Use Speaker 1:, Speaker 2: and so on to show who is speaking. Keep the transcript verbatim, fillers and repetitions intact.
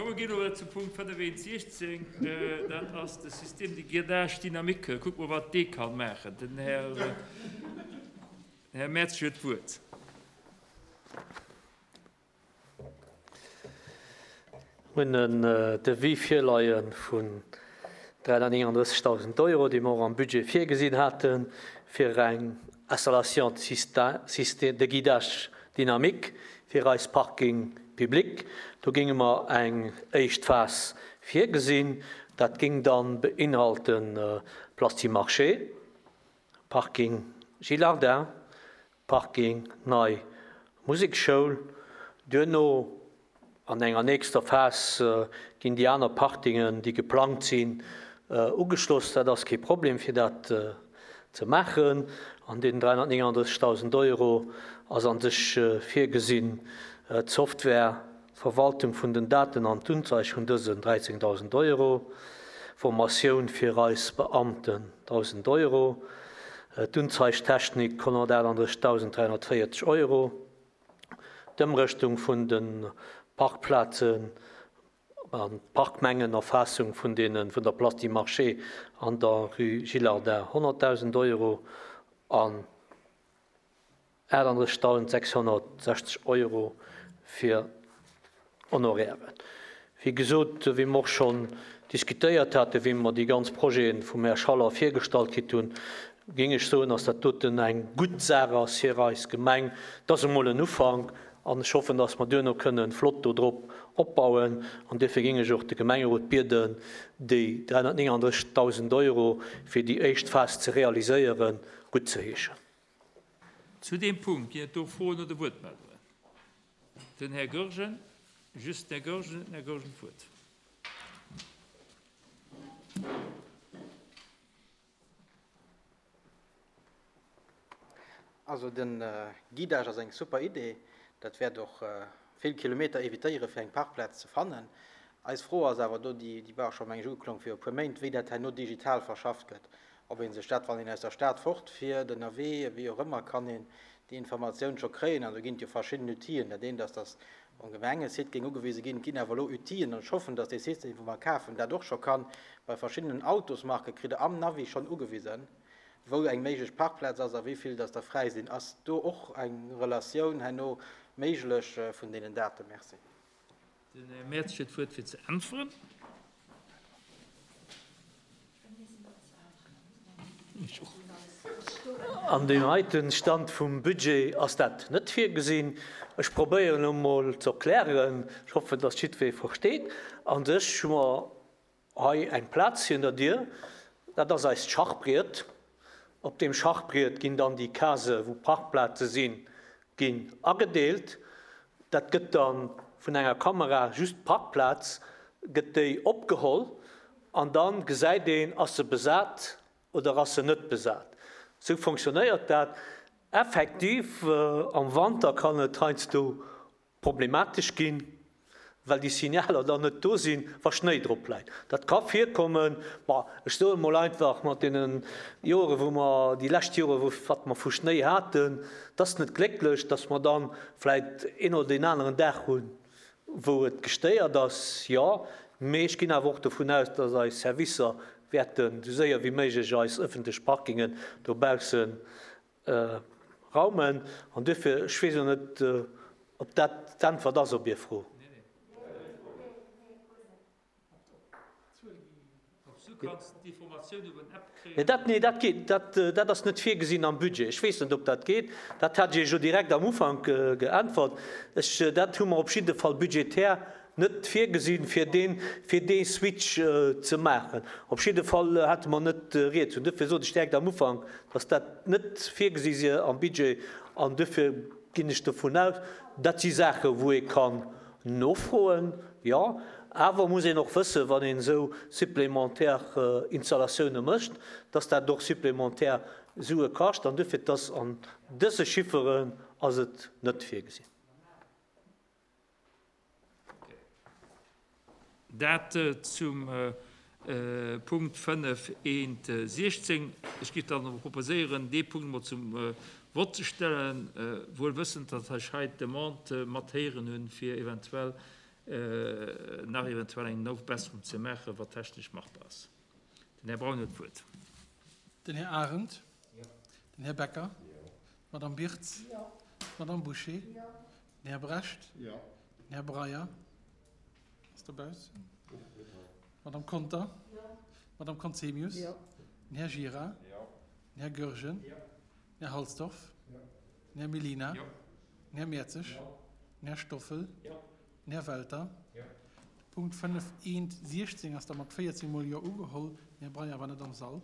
Speaker 1: Komm, mer ginn elo zum Punkt fënnef eent siechzéng, dat ass de Système de guidage dynamique. Kucke mer, wat dee ka maachen. Den Här, Här Mertsch huet d'Wuert.
Speaker 2: Mir hunn en Devis virleie vun dräihunnertnéngenddrëssegdausend Euro, déi mer och am Budget virgesinn haten, fir eng Installation de système de guidage dynamique fir eis Parking public. Do géinge mer eng éischt Phas virgesinn. Dat géing dann beinhalten Place du Marché, Parking Gillardin, Parking Nei Musekschoul. Duerno an enger nächster Phas ginn déi aner Parkingen, déi geplangt sinn, ugeschloss. Dat ass kee Problem, fir dat ze maachen. An deenen dräihunnertnéngenddrëssegdausend Euro ass an sech virgesinn d'Software, d'Verwaltung vun den Daten an d'Unzeig vun dësen dräizéngdausend Euro, Formatioun fir eis Beamten dausend Euro, d'Unzeigtechnik honnertaachtunddrëssigdausend dräihunnertvéierzeg Euro, d'Ëmrëschtung vun de Parkplazen an d'Parkmengenerfaassung vun deene vun der Place du Marché an der Rue Gillardin honnertdausend Euro an aachtunddrëssigdausend sechshunnertsechzeg Euro fir Honorairen. Wéi gesot, wéi mer och schonn diskutéiert haten, wéi mer déi ganz Projete vum Här Schaller virgestallt kritt hunn, géing ech soen, dass dat doten eng gutt Saach ass fir eis Gemeng. Dat ass emol en Ufank an ech hoffen, dass mer duerno kënnen flott do drop opbauen. An duerfir géing ech och de Gemengerot bieden, déi dräihunnertnéngenddrëssigdausend Euro fir déi éischt Phas ze realiséieren, guttzeheeschen.
Speaker 1: Zu deem Punkt ginn et do Froen oder Wuertmeldungen? Den Här Goergen, just den Här Goergen, den Här Goergen d'Wuert.
Speaker 3: Also den Guidage ass eng super Idee. Dat wäert och vill Kilometer evitéiere fir eng Parkplaz ze fannen. Eis Fro ass awer do, déi déi war scho meng ech ugeklongen fir e puer Méint, wéi dat herno digital verschafft gëtt. Ob ee sech dat, wann een aus der Stad fortfiert, ënnerwee, wéi och ëmmer, kann een déi Informatioun scho kréien. An do ginn et jo verschidden Outile. Dat eent ass, dass um Gemengesite géing ugewise ginn, et ginn awer elo Outilen, an ech hoffen, dass dee System, wou mer kafen, dat och scho kann. Bei verschiddenen Autosmarke kritt Der am Navi schonn ugewisen, wou eng méiglech Parkplaz ass a wéi vill dass der fräi sinn. Ass do och eng Relatioun herno méiglech vun deenen Daten? Merci.
Speaker 1: Den Här Mertsch huet d'Wuert fir ze äntweren.
Speaker 2: An deem heiten Stand vum Budget ass dat net virgesinn. Ech probéieren elo mol ze erklären, ech hoffen, dass jiddweree versteet. A sech hu mer hei eng Plaz virun der Dier, dat ass eist Schachbriet. Op deem Schachbriet ginn dann déi Case, wou Parkplaze sinn, ginn agedeelt. Dat gëtt dann vun enger Kamera, just d'Parkplaz, gëtt déi opgeholl an dann gesäit een, ass se besat oder ass se net besat. Sou fonctionnéiert dat. Effektiv, am Wanter kann et heiansdo problematesch ginn, well déi Signaler dann net do sinn, wa Schnéi drop läit. Dat ka virkommen. Ma ech soe mol einfach, mat deene Joren, wou mer, déi lescht Joren, wou, wat mer vu Schnéi haten, et ass net glécklech, dass mer dann vläicht een oder deen aneren Dag hunn, wou et gestéiert ass, jo. Mee ech ginn awer och dovun aus, dass eis Servicer wäerten esou séier wéi méiglech eis ëffentlech Parkingen dobausse raumen. An duerfir, ech weess elo net, ob dat d'Äntwert ass op Är Fro. Nee, dat, nee, dat geet, dat, dat ass net virgesinn am Budget. Ech weess net, ob dat geet. Dat hat ech Iech jo direkt am Ufank geäntwert. Ech, dat hu mer op jidde Fall budgetär net virgesinn, fir deen, fir dee Switch ze maachen. Op jidde Fall hate mer net rieds. Und duerfir sot ech direkt am Ufank, dass dat net virgesi si am Budget. An duerfir ginn ech dovun aus, dat si Saachen, wou ee kann nofroen, jo. Awer muss een och wëssen, wann een esou supplémentaire Installatioune mécht, dass dat och supplémentaire Sue kascht. An duerfir, dass an dëse Chifferen ass et net virgesinn.
Speaker 1: Dat zum Punkt fënnef eent siechzéng. Ech géif dann awer proposéieren, dee Punkt emol zum Vott ze stellen, wuel wëssend, datt ech hei d'Demande mat héieren hunn, fir eventuell nach eventuell eng Nofbesserung ze maachen, wat technesch machbar ass. Den Här Braun huet d'Wuert.
Speaker 4: Den Här Arendt. Den Här Becker. D'Madame Birtz. D'Madame Bouché. Den Här Brecht. Den Här Breyer ass dobaussen. D'Madame Conter. D'Madame Conzemius. Den Här Gira. Den Här Goergen. Den Här Halsdorf. Den Här Mellina. Den Här Mertzig. Den Här Stoffel. Den Här Welter. De Punkt fënnef eent siechzéng ass da mat véierzéng mol Jo ugeholl. Den Här Breyer war net am Sall.